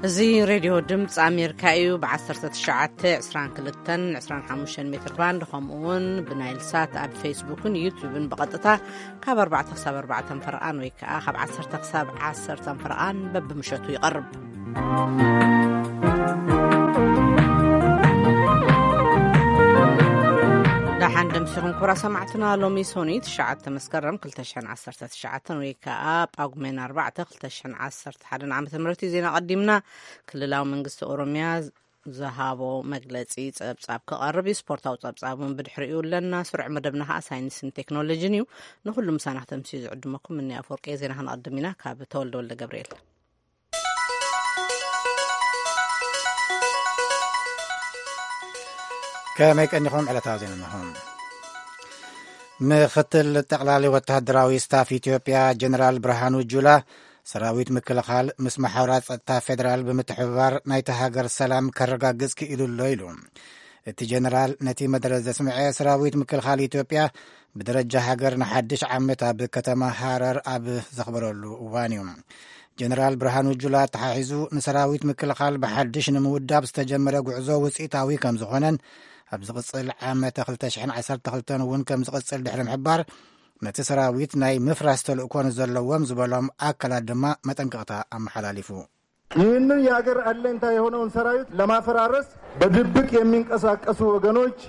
እዚ ሬድዮ ድምፂ ኣሜሪካ እዩ። ብ19፣ 22፣ 25 ሜትር ባንድ፣ ከምኡ እውን ብናይል ሳት ኣብ ፌስቡክን ዩቲዩብን ብቐጥታ ካብ ኣርባዕተ ክሳብ ኣርባዕተ ፈርቓን ወይ ከዓ ካብ ዓሰርተ ክሳብ ዓሰርተ ፈርቓን በብምሸቱ ይቐርብ። ደሓን ደምሲኹም ክቡራ ሰማዕትና። ሎሚ ሶኒ ትሽዓተ መስከረም ክልተ ሽሕን ዓሰርተ ትሽዓተን ወይ ከዓ ጳጉሜን ኣርባዕተ ክልተ ሽሕን ዓሰርተ ሓደን ዓመተ ምህረት እዩ። ዜና ቀዲምና። ክልላዊ መንግስቲ ኦሮሚያ ዝሃቦ መግለጺ ጸብጻብ ክቐርብ እዩ። ስፖርታዊ ጸብጻብ እውን ብድሕሪኡ ኣለና። ስሩዕ መደብና ኸኣ ሳይንስን ቴክኖሎጂን እዩ። ንኹሉ ምሳና ክተምስዩ ዝዕድመኩም እኒ ኣፈወርቂ። ዜና ክንቐድም ኢና። ካብ ተወልደ ወልደ ገብርኤል። ከመይ ቀኒኹም? ዕለታዊ ዜና እነሆ። ምኽትል ጠቕላሊ ወተሃደራዊ ስታፍ ኢትዮጵያ ጀነራል ብርሃኑ ጁላ፣ ሰራዊት ምክልኻል ምስ መሓውራት ጸጥታ ፌደራል ብምትሕብባር ናይቲ ሃገር ሰላም ከረጋግጽ ክኢሉ ኣሎ ኢሉ። እቲ ጀነራል ነቲ መደረ ዘስምዐ፣ ሰራዊት ምክልኻል ኢትዮጵያ ብደረጃ ሃገር ንሓድሽ ዓመት ኣብ ከተማ ሃረር ኣብ ዘኽበረሉ እዋን እዩ። ጀነራል ብርሃኑ ጁላ ኣተሓሒዙ፣ ንሰራዊት ምክልኻል ብሓድሽ ንምውዳብ ዝተጀመረ ጉዕዞ ውጽኢታዊ ከም ዝኾነን ኣብ ዝቕጽል ዓመተ ክልተ ሽሕን ዓሰርተ ክልተን እውን ከም ዝቕጽል ድሕሪ ምሕባር፣ ነቲ ሰራዊት ናይ ምፍራስ ተልእኮ ንዘለዎም ዝበሎም ኣካላት ድማ መጠንቀቕታ ኣመሓላሊፉ። ይህንን የሀገር አለኝታ የሆነውን ሰራዊት ለማፈራረስ በድብቅ የሚንቀሳቀሱ ወገኖች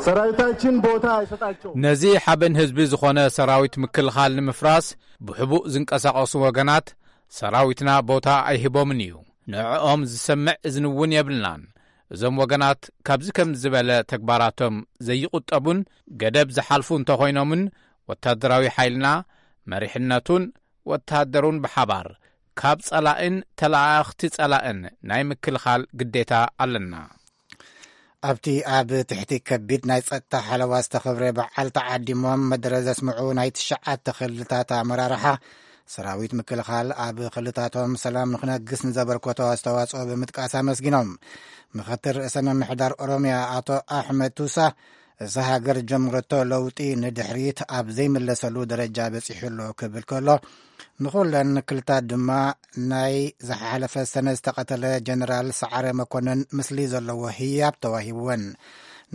ሰራዊታችን ቦታ አይሰጣቸውም። ነዚ ሓበን ህዝቢ ዝኾነ ሰራዊት ምክልኻል ንምፍራስ ብሕቡእ ዝንቀሳቐሱ ወገናት ሰራዊትና ቦታ ኣይህቦምን እዩ። ንዕኦም ዝሰምዕ እዝኒ እውን የብልናን። እዞም ወገናት ካብዚ ከም ዝበለ ተግባራቶም ዘይቑጠቡን ገደብ ዝሓልፉ እንተኾይኖምን፣ ወታደራዊ ሓይልና፣ መሪሕነቱን ወታደሩን ብሓባር ካብ ጸላእን ተለኣኣኽቲ ጸላእን ናይ ምክልኻል ግዴታ ኣለና። ኣብቲ ኣብ ትሕቲ ከቢድ ናይ ጸጥታ ሓለዋ ዝተኸብረ በዓል ተዓዲሞም መደረ ዘስምዑ ናይ ትሽዓተ ክልላት ኣመራርሓ፣ ሰራዊት ምክልኻል ኣብ ክልታቶም ሰላም ንክነግስ ንዘበርከቶ ኣስተዋጽኦ ብምጥቃስ ኣመስጊኖም። ምኽትል ርእሰ ምምሕዳር ኦሮሚያ ኣቶ ኣሕመድ ቱሳ፣ እዛ ሃገር ጀምረቶ ለውጢ ንድሕሪት ኣብ ዘይምለሰሉ ደረጃ በጺሑ ኣሎ ክብል ከሎ፣ ንኹለን ክልታት ድማ ናይ ዝሓለፈ ሰነ ዝተቐተለ ጀነራል ሰዓረ መኮነን ምስሊ ዘለዎ ህያብ ተዋሂብወን።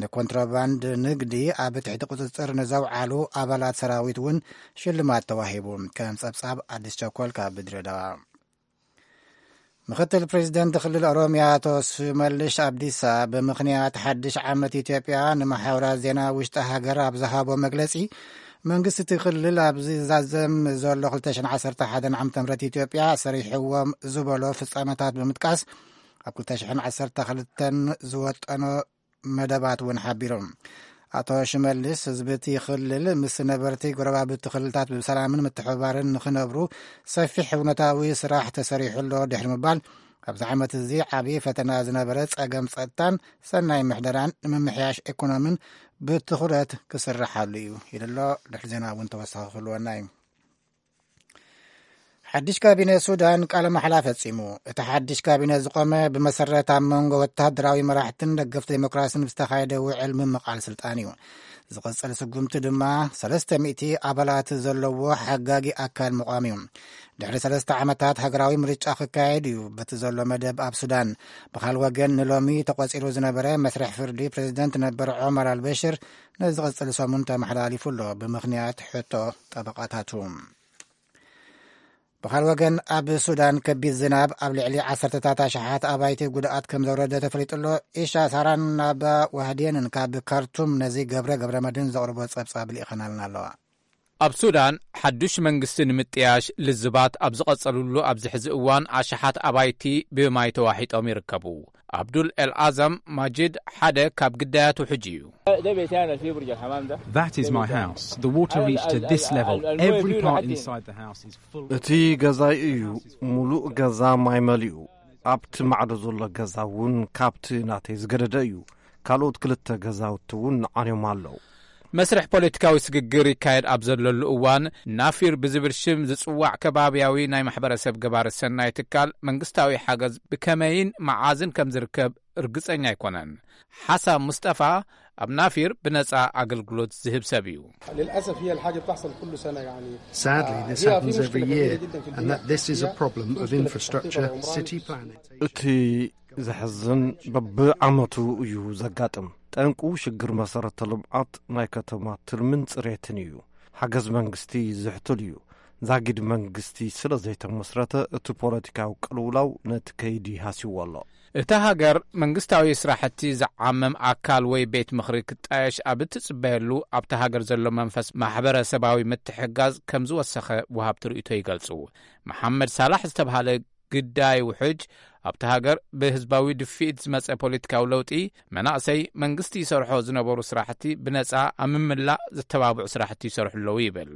ንኮንትሮባንድ ንግዲ ኣብ ትሕቲ ቁጽጽር ንዘውዓሉ ኣባላት ሰራዊት እውን ሽልማት ተዋሂቡ። ከም ጸብጻብ ኣዲስ ቸኮል ካብ ድሬዳዋ። ምኽትል ፕሬዚደንት ክልል ኦሮሚያ ኣቶ ሽመልሽ ኣብዲሳ፣ ብምኽንያት ሓድሽ ዓመት ኢትዮጵያ ንመሓውራት ዜና ውሽጢ ሃገር ኣብ ዝሃቦ መግለጺ፣ መንግስቲ እቲ ክልል ኣብ ዝዛዘም ዘሎ ክልተ ሽሕን ዓሰርተ ሓደን ዓመተ ምህረት ኢትዮጵያ ሰሪሕዎም ዝበሎ ፍጻመታት ብምጥቃስ፣ ኣብ ክልተ ሽሕን ዓሰርተ ክልተን ዝወጠኖ መደባት እውን ሓቢሩ። ኣቶ ሽመልስ፣ ህዝቢ እቲ ክልል ምስ ነበርቲ ጎረባብቲ ክልልታት ብሰላምን ምትሕብባርን ንኽነብሩ ሰፊሕ እውነታዊ ስራሕ ተሰሪሑ ኣሎ ድሕሪ ምባል፣ ኣብዚ ዓመት እዚ ዓብዪ ፈተና ዝነበረ ጸገም ጸጥታን ሰናይ ምሕደራን ንምምሕያሽ ኢኮኖሚን ብትኹረት ክስርሓሉ እዩ ኢሉ ኣሎ። ድሕሪ ዜና እውን ተወሳኺ ክህልወና እዩ። ሓድሽ ካቢነ ሱዳን ቃለ ማሕላ ፈጺሙ። እቲ ሓድሽ ካቢነ ዝቖመ ብመሰረት ኣብ መንጎ ወተሃደራዊ መራሕትን ደገፍቲ ዴሞክራስን ብዝተኻየደ ውዕል ምምቓል ስልጣን እዩ። ዝቕጽል ስጉምቲ ድማ ሰለስተ ሚእቲ ኣባላት ዘለዎ ሓጋጊ ኣካል ምቋም እዩ። ድሕሪ ሰለስተ ዓመታት ሃገራዊ ምርጫ ክካየድ እዩ በቲ ዘሎ መደብ ኣብ ሱዳን። ብኻል ወገን ንሎሚ ተቖጺሩ ዝነበረ መስርሕ ፍርዲ ፕሬዚደንት ነበር ዖመር ኣልበሽር ንዝቕጽል ሰሙን ተመሓላሊፉ ኣሎ፣ ብምኽንያት ሕቶ ጠበቓታቱ። ብኻል ወገን ኣብ ሱዳን ከቢድ ዝናብ ኣብ ልዕሊ ዓሰርተታት ኣሽሓት ኣባይቲ ጉድኣት ከም ዘውረደ ተፈሊጡ ኣሎ። ኢሻ ሳራን ናባ ዋህድየንን ካብ ካርቱም ነዚ ገብረ ገብረ መድህን ዘቕርቦ ጸብጻብ ልኢኸናልና ኣለዋ። ኣብ ሱዳን ሓዱሽ መንግስቲ ንምጥያሽ ልዝባት ኣብ ዝቐጸሉሉ ኣብዚ ሕዚ እዋን ኣሽሓት ኣባይቲ ብማይ ተዋሒጦም ይርከቡ። ኣብዱል ኤል ኣዘም ማጂድ ሓደ ካብ ግዳያቱ ሕጂ እዩ። That is my house. The water reached to this level. Every part inside the house is full. እቲ ገዛይ እዩ። ሙሉእ ገዛ ማይ መሊኡ። ኣብቲ ማዕዶ ዘሎ ገዛ እውን ካብቲ ናተይ ዝገደደ እዩ። ካልኦት ክልተ ገዛውቲ እውን ዓንዮም ኣለዉ። መስርሕ ፖለቲካዊ ስግግር ይካየድ ኣብ ዘለሉ እዋን፣ ናፊር ብዝብል ሽም ዝጽዋዕ ከባብያዊ ናይ ማሕበረሰብ ገባሪ ሰናይ ትካል መንግስታዊ ሓገዝ ብከመይን መዓዝን ከም ዝርከብ ርግጸኛ ኣይኮነን። ሓሳብ ሙስጠፋ ኣብ ናፊር ብነጻ ኣገልግሎት ዝህብ ሰብ እዩ። للأسف هي الحاجة بتحصل كل سنة، يعني. Sadly, this هي في happens مشكلة every كبيرة year, جدًا في and البنية that this is a التحتية، problem of مشكلة في التحتية infrastructure, والعمارة. City planning. እቲ ዘሕዝን በብዓመቱ እዩ ዘጋጥም። ጠንቁ ሽግር መሰረተ ልምዓት ናይ ከተማ ትልምን ጽሬትን እዩ። ሓገዝ መንግስቲ ዝሕቱል እዩ። ዛጊድ መንግስቲ ስለ ዘይተመስረተ፣ እቲ ፖለቲካዊ ቅልውላው ነቲ ከይዲ ሃስይዎ ኣሎ። እታ ሃገር መንግስታዊ ስራሕቲ ዝዓመም ኣካል ወይ ቤት ምኽሪ ክጣየሽ ኣብ እትጽበየሉ፣ ኣብታ ሃገር ዘሎ መንፈስ ማሕበረሰባዊ ምትሕግጋዝ ከም ዝወሰኸ ወሃብቲ ርእይቶ ይገልጹ። መሓመድ ሳላሕ ዝተብሃለ ግዳይ ውሕጅ፣ ኣብታ ሃገር ብህዝባዊ ድፍኢት ዝመጸ ፖለቲካዊ ለውጢ፣ መናእሰይ መንግስቲ ይሰርሖ ዝነበሩ ስራሕቲ ብነጻ ኣብ ምምላእ ዘተባብዑ ስራሕቲ ይሰርሑ ኣለዉ ይብል።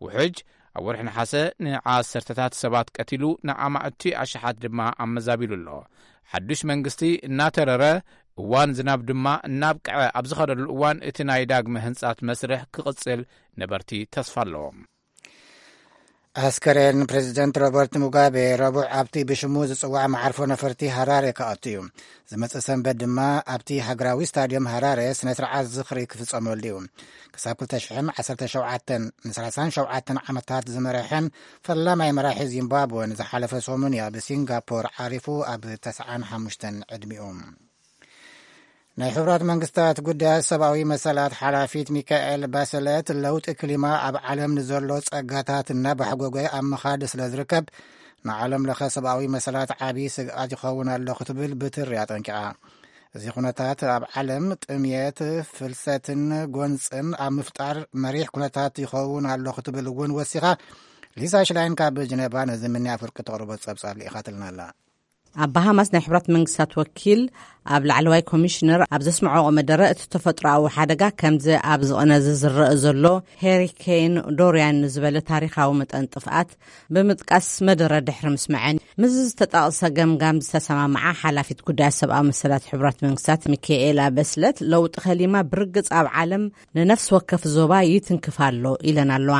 ውሕጅ ኣብ ወርሒ ነሓሰ ንዓሰርተታት ሰባት ቀቲሉ፣ ንኣማእቲ ኣሽሓት ድማ ኣመዛቢሉ ኣሎ። ሓዱሽ መንግስቲ እናተረረ፣ እዋን ዝናብ ድማ እናብቅዐ ኣብ ዝኸደሉ እዋን፣ እቲ ናይ ዳግመ ህንጻት መስርሕ ክቕጽል ነበርቲ ተስፋ ኣለዎም። ኣስከሬን ፕሬዚደንት ሮበርት ሙጋቤ ረቡዕ ኣብቲ ብሽሙ ዝጽዋዕ መዓርፎ ነፈርቲ ሃራሬ ክኣቱ እዩ። ዝመጽእ ሰንበት ድማ ኣብቲ ሃገራዊ ስታድዮም ሃራሬ ስነ ስርዓት ዝኽሪ ክፍጸመሉ እዩ። ክሳብ ክልተ ሽሕን ዓሰርተ ሸውዓተን፣ ን ሰላሳን ሸውዓተን ዓመታት ዝመረሐን ፈላማይ መራሒ ዚምባብወን ዝሓለፈ ሰሙን እያ ብሲንጋፖር ዓሪፉ ኣብ ተስዓን ሓሙሽተን ዕድሚኡ። ናይ ሕቡራት መንግስታት ጉዳያት ሰብኣዊ መሰላት ሓላፊት ሚካኤል ባሰለት፣ ለውጢ ክሊማ ኣብ ዓለም ንዘሎ ጸጋታት እናባሕጎገ ኣብ ምኻድ ስለ ዝርከብ፣ ንዓለም ለኸ ሰብኣዊ መሰላት ዓቢ ስግኣት ይኸውን ኣሎ ክትብል ብትሪ ኣጠንቂቓ። እዚ ኩነታት ኣብ ዓለም ጥምየት፣ ፍልሰትን ጎንጽን ኣብ ምፍጣር መሪሕ ኩነታት ይኸውን ኣሎ ክትብል እውን ወሲኻ። ሊሳ ሽላይን ካብ ጀነቫ ነዚ ምንያ ፍርቂ ተቕርቦ ጸብጻብ ልኢኻትልና ኣላ። ኣብ ባሃማስ ናይ ሕብራት መንግስታት ወኪል ኣብ ላዕለዋይ ኮሚሽነር ኣብ ዘስምዖ መደረ፣ እቲ ተፈጥሮኣዊ ሓደጋ ከምዚ ኣብ ዝቕነዚ ዝረአ ዘሎ ሄሪኬን ዶርያን ዝበለ ታሪኻዊ መጠን ጥፍኣት ብምጥቃስ፣ መደረ ድሕሪ ምስምዐን፣ ምስ ዝተጠቕሰ ገምጋም ዝተሰማምዓ ሓላፊት ጉዳያት ሰብኣዊ መሰላት ሕቡራት መንግስታት ሚካኤላ በስለት፣ ለውጢ ከሊማ ብርግጽ ኣብ ዓለም ንነፍሲ ወከፍ ዞባ ይትንክፍ ኣሎ ኢለን ኣለዋ።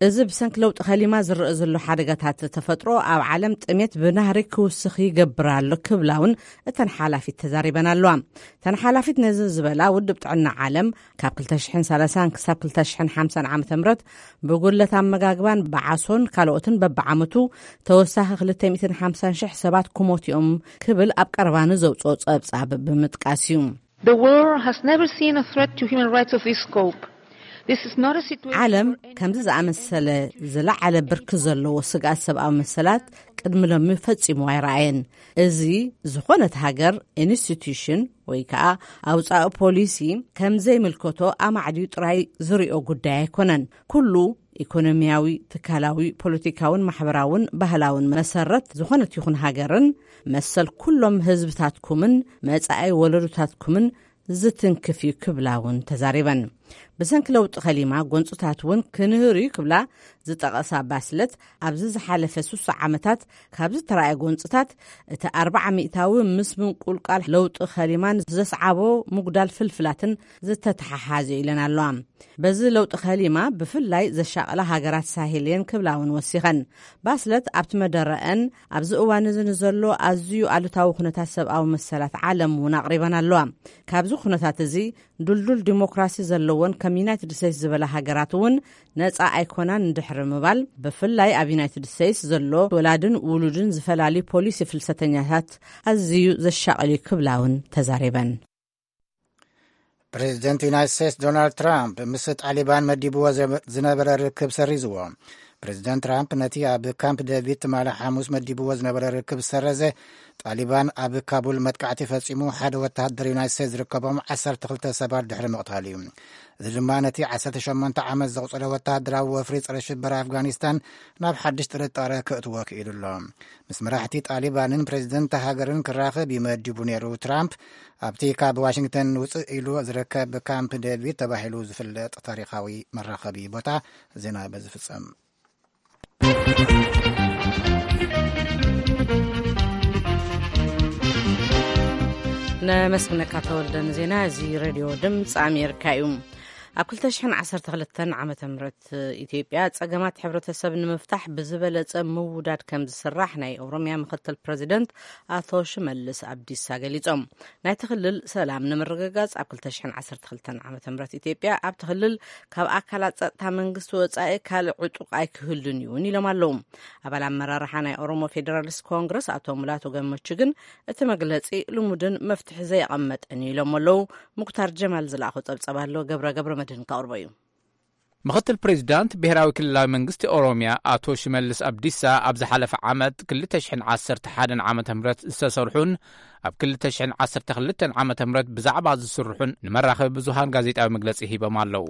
እዚ ብሰንኪ ለውጢ ከሊማ ዝረአ ዘሎ ሓደጋታት ተፈጥሮ ኣብ ዓለም ጥሜት ብናህሪ ክውስኽ ይገብር ኣሎ ክብላ እውን እተን ሓላፊት ተዛሪበን ኣለዋ። እተን ሓላፊት ነዚ ዝበላ፣ ውድብ ጥዕና ዓለም ካብ ክልተ ሽሕን ሰላሳን ክሳብ ክልተ ሽሕን ሓምሳን ዓመተ ምህረት ብጉድለት ኣመጋግባን ብዓሶን ካልኦትን በብዓመቱ ተወሳኺ ክልተ ሚእትን ሓምሳን ሽሕ ሰባት ክሞቱ እዮም ክብል ኣብ ቀረባ ንዘውፅኦ ፀብፃብ ብምጥቃስ እዩ። The world has never seen a threat to human rights of this scope. This is not a situation ዓለም for any ከምዚ ዝኣመሰለ ዝለዓለ ብርኪ ዘለዎ ስግኣት ሰብኣዊ መሰላት ቅድሚ ሎሚ ፈጺሙ ኣይረኣየን። እዚ ዝኾነት ሃገር፣ ኢንስቲትዩሽን ወይ ከዓ ኣውፃኢ ፖሊሲ ከም ዘይምልከቶ ኣማዕድዩ ጥራይ ዝሪኦ ጉዳይ ኣይኮነን። ኩሉ ኢኮኖሚያዊ፣ ትካላዊ፣ ፖለቲካውን ማሕበራውን ባህላውን መሰረት ዝኾነት ይኹን ሃገርን መሰል ኩሎም ህዝብታትኩምን መጻኢ ወለዶታትኩምን ዝትንክፍ እዩ ክብላ እውን ተዛሪበን። ብሰንኪ ለውጢ ከሊማ ጎንፅታት እውን ክንህር እዩ ክብላ ዝጠቐሳ ባስለት፣ ኣብዚ ዝሓለፈ ስሳ ዓመታት ካብ ዝተረኣየ ጎንፅታት እቲ ኣርባዓ ሚእታዊ ምስ ምንቁልቃል ለውጢ ከሊማን ዘስዓቦ ምጉዳል ፍልፍላትን ዝተተሓሓዘ እዩ ኢለን ኣለዋ። በዚ ለውጢ ከሊማ ብፍላይ ዘሻቕላ ሃገራት ሳሄል እየን ክብላ እውን ወሲኸን። ባስለት ኣብቲ መደረአን፣ ኣብዚ እዋን እዚ ንዘሎ ኣዝዩ ኣሉታዊ ኩነታት ሰብኣዊ መሰላት ዓለም እውን ኣቕሪበን ኣለዋ። ካብዚ ኩነታት እዚ ድልዱል ዲሞክራሲ ዘለወን ከም ዩናይትድ ስቴትስ ዝበላ ሃገራት እውን ነጻ ኣይኮናን እንድሕሪ ምባል፣ ብፍላይ ኣብ ዩናይትድ ስቴትስ ዘሎ ወላድን ውሉድን ዝፈላልዩ ፖሊሲ ፍልሰተኛታት ኣዝዩ ዘሻቕል እዩ ክብላ እውን ተዛሪበን። ፕሬዚደንት ዩናይትድ ስቴትስ ዶናልድ ትራምፕ ምስ ጣሊባን መዲብዎ ዝነበረ ርክብ ሰሪዝዎ። ፕሬዚደንት ትራምፕ ነቲ ኣብ ካምፕ ዴቪድ ትማሊ ሓሙስ መዲብዎ ዝነበረ ርክብ ዝሰረዘ፣ ጣሊባን ኣብ ካቡል መጥቃዕቲ ፈጺሙ ሓደ ወተሃደር ዩናይትድ ስቴትስ ዝርከቦም ዓሰርተ ክልተ ሰባት ድሕሪ ምቕታሉ እዩ። እዚ ድማ ነቲ ዓሰርተ ሸሞንተ ዓመት ዘቑጸረ ወተሃደራዊ ወፍሪ ጸረ ሽበራ ኣፍጋኒስታን ናብ ሓድሽ ጥርጣረ ከእትዎ ክኢሉ ኣሎ። ምስ መራሕቲ ጣሊባንን ፕሬዚደንት ሃገርን ክራኸብ እዩ መዲቡ ነይሩ። ትራምፕ ኣብቲ ካብ ዋሽንግተን ውፅእ ኢሉ ዝርከብ ካምፕ ዴቪድ ተባሂሉ ዝፍለጥ ታሪኻዊ መራኸቢ ቦታ። ዜና በዚ ፍጸም። ነመስግነካ ተወልደ ንዜና። እዚ ሬድዮ ድምፂ ኣሜሪካ እዩ። ኣብ ክልተ ሽሕን ዓሰርተ ክልተን ዓመተ ምህረት ኢትዮጵያ ጸገማት ሕብረተሰብ ንምፍታሕ ብዝበለጸ ምውዳድ ከም ዝስራሕ ናይ ኦሮሚያ ምክትል ፕረዚደንት ኣቶ ሽመልስ ኣብዲሳ ገሊጾም። ናይቲ ክልል ሰላም ንምርግጋጽ ኣብ ክልተ ሽሕን ዓሰርተ ክልተን ዓመተ ምህረት ኢትዮጵያ ኣብቲ ክልል ካብ ኣካላት ጸጥታ መንግስቲ ወጻኢ ካልእ ዕጡቕ ኣይክህሉን እዩ እውን ኢሎም ኣለዉ። ኣባል ኣመራርሓ ናይ ኦሮሞ ፌዴራሊስት ኮንግረስ ኣቶ ሙላቱ ገመቹ ግን እቲ መግለጺ ልሙድን መፍትሒ ዘየቐመጠን እዩ ኢሎም ኣለዉ። ሙክታር ጀማል ዝለኣኾ ጸብጸብ ኣሎ፣ ገብረ ገብረ መድህን ከቕርቦ እዩ። ምኽትል ፕሬዚዳንት ብሔራዊ ክልላዊ መንግስቲ ኦሮሚያ ኣቶ ሽመልስ ኣብዲሳ ኣብ ዝሓለፈ ዓመት ክልተ ሽሕን ዓሰርተ ሓደን ዓመተ ምህረት ዝተሰርሑን ኣብ ክልተ ሽሕን ዓሰርተ ክልተን ዓመተ ምህረት ብዛዕባ ዝስርሑን ንመራኸቢ ብዙሃን ጋዜጣዊ መግለጺ ሂቦም ኣለዉ።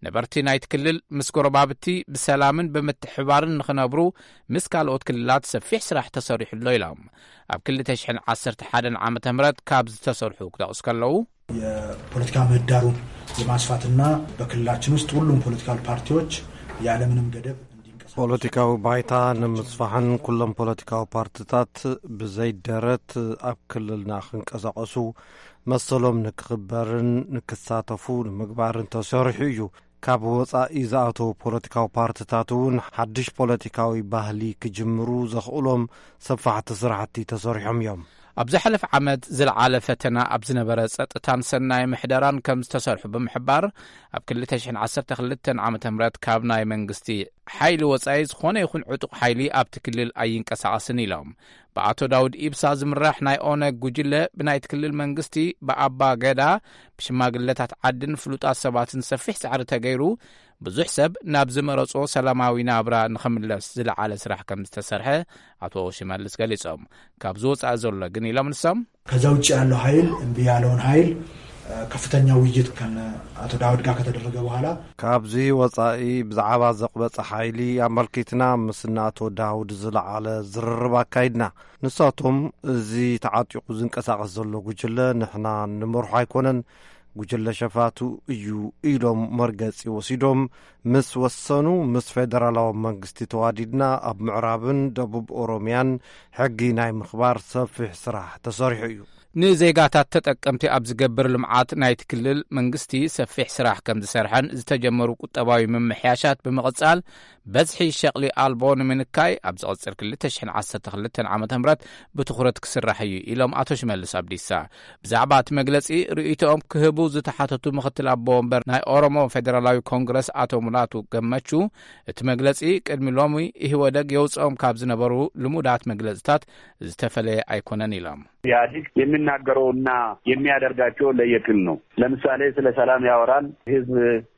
ነበርቲ ናይቲ ክልል ምስ ጎረባብቲ ብሰላምን ብምትሕባርን ንኽነብሩ ምስ ካልኦት ክልላት ሰፊሕ ስራሕ ተሰሪሑ ኣሎ ኢሎም። ኣብ ክልተ ሽሕን ዓሰርተ ሓደን ዓመተ ምህረት ካብ ዝተሰርሑ ክጠቕሱ ከለዉ፣ የፖለቲካ ምህዳሩን የማስፋትና በክልላችን ውስጥ ሁሉም ፖለቲካል ፓርቲዎች ያለምንም ገደብ እንዲንቀሳቀሱ ፖለቲካዊ ባይታ ንምስፋሕን ኩሎም ፖለቲካዊ ፓርቲታት ብዘይደረት ኣብ ክልልና ክንቀሳቀሱ መሰሎም ንክኽበርን ንክሳተፉ ንምግባርን ተሰሪሑ እዩ። ካብ ወጻኢ ዝኣተዉ ፖለቲካዊ ፓርቲታት እውን ሓድሽ ፖለቲካዊ ባህሊ ክጅምሩ ዘኽእሎም ሰፋሕቲ ስራሕቲ ተሰሪሖም እዮም። ኣብ ዝሓለፈ ዓመት ዝለዓለ ፈተና ኣብ ዝነበረ ጸጥታን ሰናይ ምሕደራን ከም ዝተሰርሑ ብምሕባር፣ ኣብ ክልተ ሽሕን ዓሰርተ ክልተን ዓመተ ምህረት ካብ ናይ መንግስቲ ሓይሊ ወጻኢ ዝኾነ ይኹን ዕጡቕ ሓይሊ ኣብቲ ክልል ኣይንቀሳቐስን ኢሎም። ብኣቶ ዳውድ ኢብሳ ዝምራሕ ናይ ኦነግ ጉጅለ ብናይቲ ክልል መንግስቲ፣ ብኣባ ገዳ፣ ብሽማግለታት ዓድን ፍሉጣት ሰባትን ሰፊሕ ጻዕሪ ተገይሩ ብዙሕ ሰብ ናብ ዝመረጾ ሰላማዊ ናብራ ንኽምለስ ዝለዓለ ስራሕ ከም ዝተሰርሐ ኣቶ ሽመልስ ገሊጾም። ካብ ዝወጻእ ዘሎ ግን ኢሎም ንሶም፣ ከዛ ውጭ ያለው ኃይል እምቢ ያለውን ኃይል ከፍተኛ ውይይት ከነ አቶ ዳውድ ጋር ከተደረገ በኋላ ካብዚ ወጻኢ ብዛዕባ ዘቕበጸ ሓይሊ ኣመልኪትና ምስ እናቶ ዳውድ ዝለዓለ ዝርርብ ኣካይድና። ንሳቶም እዚ ተዓጢቑ ዝንቀሳቐስ ዘሎ ጉጅለ ንሕና ንመርሖ ኣይኮነን፣ ጉጅለ ሸፋቱ እዩ ኢሎም መርገጺ ወሲዶም ምስ ወሰኑ፣ ምስ ፌደራላዊ መንግስቲ ተዋዲድና ኣብ ምዕራብን ደቡብ ኦሮሚያን ሕጊ ናይ ምኽባር ሰፊሕ ስራሕ ተሰሪሑ እዩ። ንዜጋታት ተጠቀምቲ ኣብ ዝገብር ልምዓት ናይቲ ክልል መንግስቲ ሰፊሕ ስራሕ ከም ዝሰርሐን ዝተጀመሩ ቁጠባዊ ምምሕያሻት ብምቕጻል በዝሒ ሸቕሊ ኣልቦ ንምንካይ ኣብ ዝቕጽል ክልተ ሽሕን ዓሰርተ ክልተን ዓመተ ምህረት ብትኹረት ክስራሕ እዩ ኢሎም ኣቶ ሽመልስ ኣብዲሳ። ብዛዕባ እቲ መግለጺ ርእይቶኦም ክህቡ ዝተሓተቱ ምኽትል ኣቦ ወንበር ናይ ኦሮሞ ፌደራላዊ ኮንግረስ ኣቶ ሙላቱ ገመቹ፣ እቲ መግለጺ ቅድሚ ሎሚ ኢህወደግ የውጽኦም ካብ ዝነበሩ ልሙዳት መግለጽታት ዝተፈለየ ኣይኮነን ኢሎም። ኢህአዴግ የሚናገረውና የሚያደርጋቸው ለየቅል ነው። ለምሳሌ ስለ ሰላም ያወራል። ህዝብ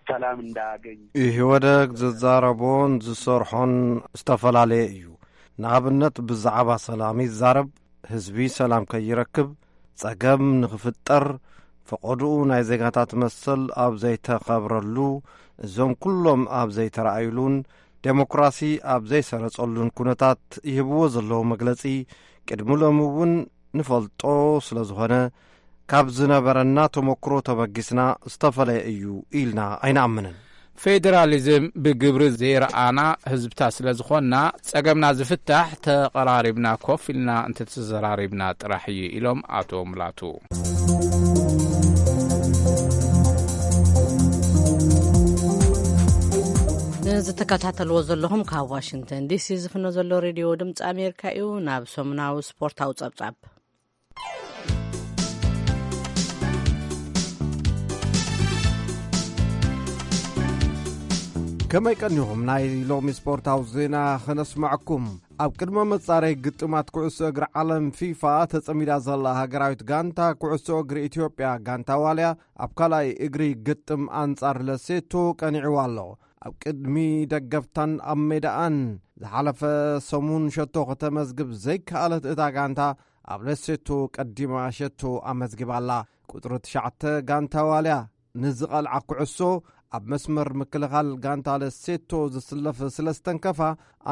ሰላም እንዳያገኝ ኢህወደግ ዝዛረቦን ዝሰርሖን ዝተፈላለየ እዩ። ንኣብነት ብዛዕባ ሰላም ይዛረብ፣ ህዝቢ ሰላም ከይረክብ፣ ጸገም ንኽፍጠር፣ ፈቐድኡ ናይ ዜጋታት መሰል ኣብ ዘይተኸብረሉ፣ እዞም ኩሎም ኣብ ዘይተረኣዩሉን ዴሞክራሲ ኣብ ዘይሰረጸሉን ኩነታት ይህብዎ ዘለዉ መግለጺ ቅድሚ ሎሚ እውን ንፈልጦ ስለ ዝኾነ፣ ካብ ዝነበረና ተመክሮ ተበጊስና ዝተፈለየ እዩ ኢልና ኣይንኣምንን። ፌዴራሊዝም ብግብሪ ዘይረኣና ህዝብታት ስለ ዝኾንና፣ ጸገምና ዝፍታሕ ተቐራሪብና ኮፍ ኢልና እንተተዘራሪብና ጥራሕ እዩ ኢሎም ኣቶ ሙላቱ። ንዝተከታተልዎ ዘለኹም ካብ ዋሽንግተን ዲሲ ዝፍኖ ዘሎ ሬድዮ ድምፂ ኣሜሪካ እዩ። ናብ ሰሙናዊ ስፖርታዊ ጸብጻብ። ከመይ ቀኒኹም? ናይ ሎሚ ስፖርታዊ ዜና ኸነስምዐኩም። ኣብ ቅድመ መጻረይ ግጥማት ኩዕሶ እግሪ ዓለም ፊፋ ተጸሚዳ ዘላ ሃገራዊት ጋንታ ኩዕሶ እግሪ ኢትዮጵያ ጋንታ ዋልያ ኣብ ካልኣይ እግሪ ግጥም ኣንጻር ለሴቶ ቀኒዕዋ ኣሎ። ኣብ ቅድሚ ደገፍታን ኣብ ሜዳኣን ዝሓለፈ ሰሙን ሸቶ ከተመዝግብ ዘይከኣለት እታ ጋንታ ኣብ ለሴቶ ቀዲማ ሸቶ ኣመዝጊባ ኣላ። ቁጽሪ ትሽዓተ ጋንታ ዋልያ ንዝቐልዓ ኩዕሶ ኣብ መስመር ምክልኻል ጋንታ ለሴቶ ዝስለፍ ስለ ዝተንከፋ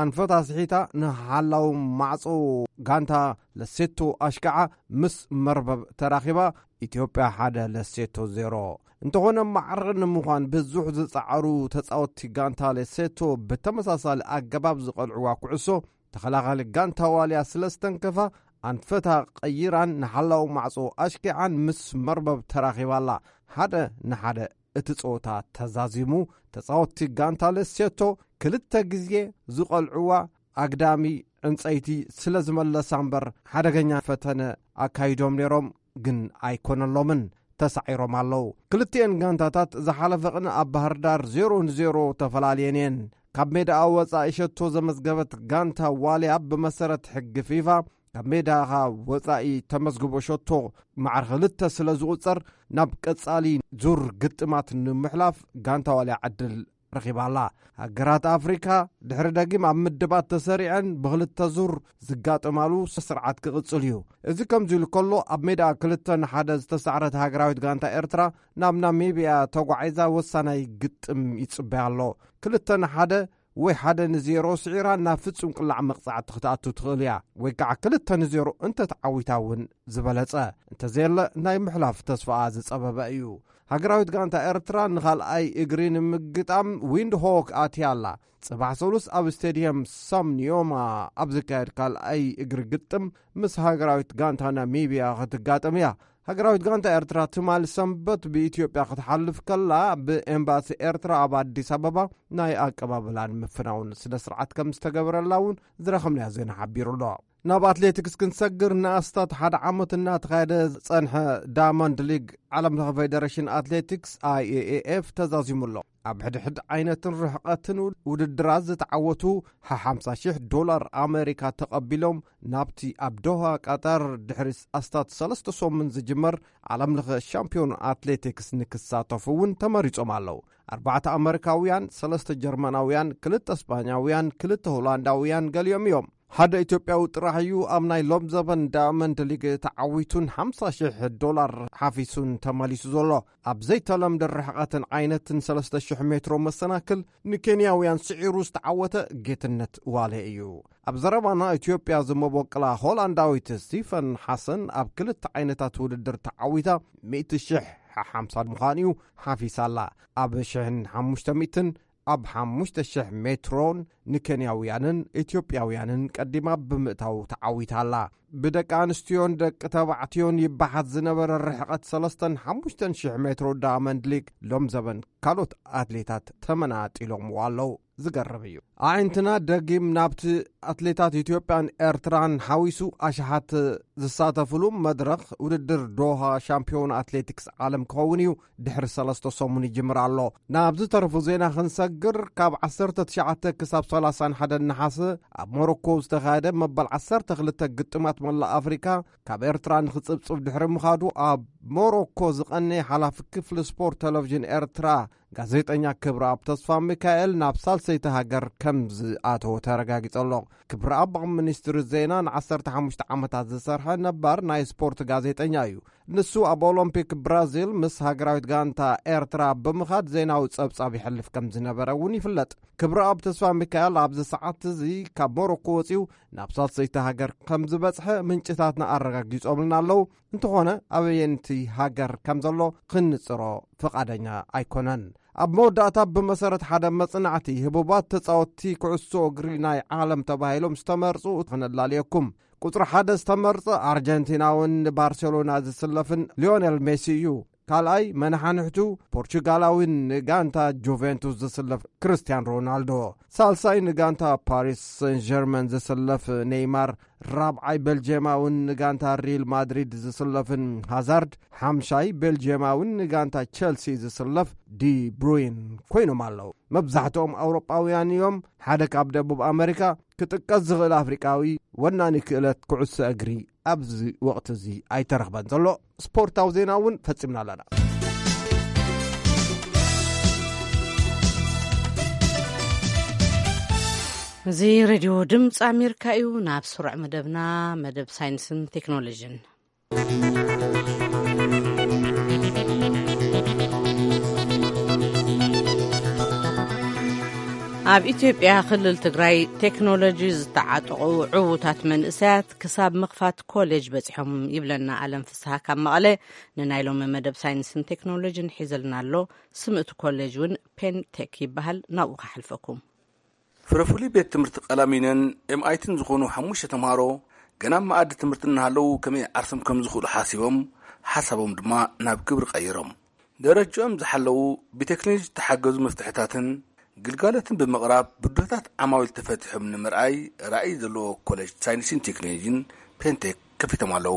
ኣንፈታ ስሒታ ንሓላው ማዕጾ ጋንታ ለሴቶ ኣሽካዓ ምስ መርበብ ተራኺባ ኢትዮጵያ ሓደ ለሴቶ ዜሮ። እንተኾነ ማዕረ ንምዃን ብዙሕ ዝጸዓሩ ተጻወትቲ ጋንታ ለሴቶ ብተመሳሳሊ ኣገባብ ዝቐልዕዋ ኩዕሶ ተኸላኻሊ ጋንታ ዋልያ ስለ ዝተንከፋ ኣንፈታ ቀይራን ንሓላው ማዕጾ ኣሽኪዓን ምስ መርበብ ተራኺባ ኣላ። ሓደ ንሓደ እቲ ጸወታ ተዛዚሙ። ተጻወትቲ ጋንታ ለሴቶ ክልተ ግዜ ዝቐልዕዋ ኣግዳሚ ዕንጸይቲ ስለ ዝመለሳ እምበር፣ ሓደገኛ ፈተነ ኣካይዶም ነይሮም፣ ግን ኣይኮነሎምን። ተሳዒሮም ኣለዉ። ክልቲኤን ጋንታታት ዝሓለፈ ቅነ ኣብ ባህር ዳር ዜሮ ንዜሮ ተፈላልየን እየን። ካብ ሜዳኣ ወጻኢ ሸቶ ዘመዝገበት ጋንታ ዋልያ፣ ብመሰረት ሕጊ ፊፋ፣ ካብ ሜዳኻ ወጻኢ ተመዝግቦ ሸቶ ማዕረ ክልተ ስለ ዝቑጸር፣ ናብ ቀጻሊ ዙር ግጥማት ንምሕላፍ ጋንታ ዋልያ ዕድል ረኺባ ኣላ። ሃገራት ኣፍሪካ ድሕሪ ደጊም ኣብ ምድባት ተሰሪዐን ብኽልተ ዙር ዝጋጠማሉ ስርዓት ክቕጽል እዩ። እዚ ከምዚ ኢሉ ከሎ፣ ኣብ ሜዳ ክልተ ንሓደ ዝተሳዕረት ሃገራዊት ጋንታ ኤርትራ ናብ ናሚብያ ተጓዒዛ ወሳናይ ግጥም ይጽበያ ኣሎ። ክልተ ንሓደ ወይ ሓደ ንዜሮ ስዒራ ናብ ፍጹም ቅላዕ መቕጻዕቲ ክትኣቱ ትኽእል እያ፣ ወይ ከዓ ክልተ ንዜሮ እንተተዓዊታ እውን ዝበለጸ፣ እንተዘየለ ናይ ምሕላፍ ተስፋኣ ዝጸበበ እዩ። ሃገራዊት ጋንታ ኤርትራ ንኻልኣይ እግሪ ንምግጣም ዊንድ ሆክ ኣትያ ኣላ። ጽባሕ ሰሉስ ኣብ ስቴድየም ሳም ኒዮማ ኣብ ዝካየድ ካልኣይ እግሪ ግጥም ምስ ሃገራዊት ጋንታ ናሚብያ ክትጋጠም እያ። ሃገራዊት ጋንታ ኤርትራ ትማል ሰንበት ብኢትዮጵያ ክትሓልፍ ከላ፣ ብኤምባሲ ኤርትራ ኣብ ኣዲስ ኣበባ ናይ ኣቀባብላን ምፍናውን ስነ ስርዓት ከም ዝተገበረላ እውን ዝረኸብናዮ ዜና ሓቢሩ ኣሎ። ናብ ኣትሌቲክስ ክንሰግር፣ ንኣስታት ሓደ ዓመት እናተኻየደ ዝጸንሐ ዳያመንድ ሊግ ዓለም ለኸ ፌደሬሽን ኣትሌቲክስ፣ ኣይኤኤኤፍ፣ ተዛዚሙ ኣሎ። ኣብ ሕድሕድ ዓይነትን ርሕቐትን ውድድራት ዝተዓወቱ ሓሓምሳ ሽሕ ዶላር ኣሜሪካ ተቐቢሎም ናብቲ ኣብ ዶሃ ቀጠር ድሕሪ ኣስታት ሰለስተ ሰሙን ዝጅመር ዓለም ለኸ ሻምፒዮን ኣትሌቲክስ ንክሳተፉ እውን ተመሪጾም ኣለዉ። ኣርባዕተ ኣመሪካውያን፣ ሰለስተ ጀርመናውያን፣ ክልተ ስጳኛውያን፣ ክልተ ሆላንዳውያን ገሊኦም እዮም። ሓደ ኢትዮጵያዊ ጥራሕ እዩ ኣብ ናይ ሎም ዘበን ዳያመንድ ሊግ ተዓዊቱን ሓምሳ ሽሕ ዶላር ሓፊሱን ተመሊሱ ዘሎ። ኣብ ዘይተለምደ ርሕቐትን ዓይነትን ሰለስተ ሽሕ ሜትሮ መሰናክል ንኬንያውያን ስዒሩ ዝተዓወተ ጌትነት ዋሌ እዩ። ኣብ ዘረባና ኢትዮጵያ ዝመበቆላ ሆላንዳዊት ስቲፈን ሓሰን ኣብ ክልተ ዓይነታት ውድድር ተዓዊታ ሚእቲ ሽሕ ሓሓምሳ ምዃን እዩ ሓፊሳ ኣላ። ኣብ ሽሕን ሓሙሽተ ሚእትን ኣብ ሓሙሽተ ሽሕ ሜትሮን ንኬንያውያንን ኢትዮጵያውያንን ቀዲማ ብምእታው ተዓዊታ ኣላ። ብደቂ ኣንስትዮን ደቂ ተባዕትዮን ይበሓት ዝነበረ ርሕቐት ሰለስተን ሓሙሽተን ሽሕ ሜትሮ ዳያመንድ ሊግ ሎም ዘበን ካልኦት ኣትሌታት ተመናጢሎምዎ ኣለዉ። ዝገርም እዩ። ኣዒንትና ደጊም ናብቲ ኣትሌታት ኢትዮጵያን ኤርትራን ሓዊሱ ኣሽሓት ዝሳተፍሉ መድረኽ ውድድር ዶሃ ሻምፒዮን ኣትሌቲክስ ዓለም ክኸውን እዩ። ድሕሪ ሰለስተ ሰሙን ይጅምር ኣሎ። ናብ ዝተረፉ ዜና ክንሰግር፣ ካብ ዓሰርተ ትሽዓተ ክሳብ ሰላሳን ሓደን ነሓሰ ኣብ ሞሮኮ ዝተኻየደ መበል ዓሰርተ ክልተ ግጥማት መላእ ኣፍሪካ ካብ ኤርትራ ንክጽብጽብ ድሕሪ ምኻዱ፣ ኣብ ሞሮኮ ዝቐነየ ሓላፊ ክፍሊ ስፖርት ቴሌቪዥን ኤርትራ ጋዜጠኛ ክብረኣብ ተስፋ ሚካኤል ናብ ሳልሰይቲ ሃገር ከም ዝኣተወ ተረጋጊጸ ኣሎ። ክብረኣብ ኣብ ሚኒስትሪ ዜና ንዓሰርተ ሓሙሽተ ዓመታት ዝሰርሐ ነባር ናይ ስፖርት ጋዜጠኛ እዩ። ንሱ ኣብ ኦሎምፒክ ብራዚል ምስ ሃገራዊት ጋንታ ኤርትራ ብምኻድ ዜናዊ ጸብጻብ ይሕልፍ ከም ዝነበረ እውን ይፍለጥ። ክብረኣብ ተስፋ ሚካኤል ኣብዚ ሰዓት እዚ ካብ ሞሮኮ ወጺኡ ናብ ሳልሰይቲ ሃገር ከም ዝበጽሐ ምንጭታትና ኣረጋጊጾምልና ኣለዉ። እንተኾነ ኣበየንቲ ሃገር ከም ዘሎ ክንጽሮ ፍቓደኛ ኣይኮነን። ኣብ መወዳእታ፣ ብመሰረት ሓደ መጽናዕቲ፣ ህቡባት ተጻወትቲ ኩዕሶ እግሪ ናይ ዓለም ተባሂሎም ዝተመርጹ ክነላልየኩም። ቁጽሪ ሓደ ዝተመርጸ ኣርጀንቲናውን ንባርሴሎና ዝስለፍን ሊዮኔል ሜሲ እዩ። ካልኣይ መናሓንሕቱ ፖርቹጋላዊን ንጋንታ ጁቬንቱስ ዝስለፍ ክርስቲያን ሮናልዶ። ሳልሳይ ንጋንታ ፓሪስ ሰን ጀርመን ዝስለፍ ኔይማር፣ ራብዓይ ቤልጅየማውን ንጋንታ ሪል ማድሪድ ዝስለፍን ሃዛርድ፣ ሓምሻይ ቤልጅየማውን ንጋንታ ቸልሲ ዝስለፍ ዲ ብሩይን ኮይኖም ኣለዉ። መብዛሕትኦም ኣውሮጳውያን እዮም። ሓደ ካብ ደቡብ ኣመሪካ ክጥቀስ ዝኽእል ኣፍሪቃዊ ወናኒ ክእለት ኩዕሶ እግሪ ኣብዚ ወቕቲ እዚ ኣይተረኽበን ዘሎ። ስፖርታዊ ዜና እውን ፈጺምና ኣለና። እዚ ሬድዮ ድምፂ ኣሜሪካ እዩ። ናብ ስሩዕ መደብና፣ መደብ ሳይንስን ቴክኖሎጂን። ኣብ ኢትዮጵያ ክልል ትግራይ ቴክኖሎጂ ዝተዓጠቑ ዕዉታት መንእሰያት ክሳብ ምኽፋት ኮሌጅ በጺሖም ይብለና ኣለም ፍስሃ ካብ መቐለ። ንናይ ሎሚ መደብ ሳይንስን ቴክኖሎጂን ሒዘልና ኣሎ። ስም እቲ ኮሌጅ እውን ፔንቴክ ይበሃል። ናብኡ ከሓልፈኩም። ፍረፍሉይ ቤት ትምህርቲ ቀላሚነን ኤምኣይቲን ዝኾኑ ሓሙሽተ ተምሃሮ ገና ኣብ መኣዲ ትምህርቲ እናሃለዉ ከመይ ዓርሶም ከም ዝኽእሉ ሓሲቦም፣ ሓሳቦም ድማ ናብ ግብሪ ቀይሮም። ደረጃኦም ዝሓለዉ ብቴክኖሎጂ ዝተሓገዙ መፍትሕታትን ግልጋሎትን ብምቕራብ ብድሆታት ዓማዊል ተፈቲሖም ንምርኣይ ራእይ ዘለዎ ኮሌጅ ሳይንስን ቴክኖሎጂን ፔንቴክ ከፊቶም ኣለዉ።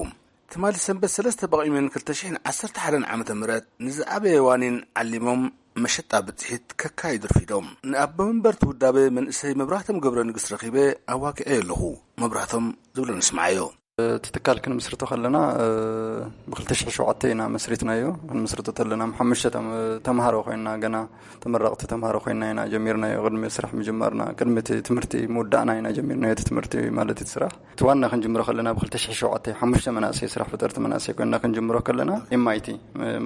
ትማሊ ሰንበት ሰለስተ በቒሚን ክልተ ሽሕን ዓሰርተ ሓደን ዓመተ ምህረት ንዝኣበየ ዋኒን ዓሊሞም መሸጣ ብጽሒት ከካይዱ ርፊዶም። ንኣቦ መንበርቲ ውዳበ መንእሰይ መብራህቶም ገብረ ንግስ ረኺበ ኣዋጊዐዮ ኣለኹ። መብራህቶም ዝብሎ ንስምዓዮ። እቲ ትካል ክንምስርቶ ከለና ብክልተ ሽሕ ሸውዓተ ኢና መስሪትናዮ። ክንምስርቶ ተለና ሓሙሽተ ተም- ተምሃሮ ኮይና፣ ገና ተመረቕቲ ተምሃሮ ኮይና ኢና ጀሚርናዮ። ቅድሚ ስራሕ ምጅማርና፣ ቅድሚ እቲ ትምህርቲ ምውዳእና ኢና ጀሚርናዮ እቲ ትምህርቲ ማለት እቲ ስራሕ። እቲ ዋና ክንጅምሮ ከለና ብክልተ ሽሕ ሸውዓተ ሓሙሽተ መናእሰይ፣ ስራሕ ፈጠርቲ መናእሰይ ኮይና ክንጅምሮ ከለና ኤምኣይቲ፣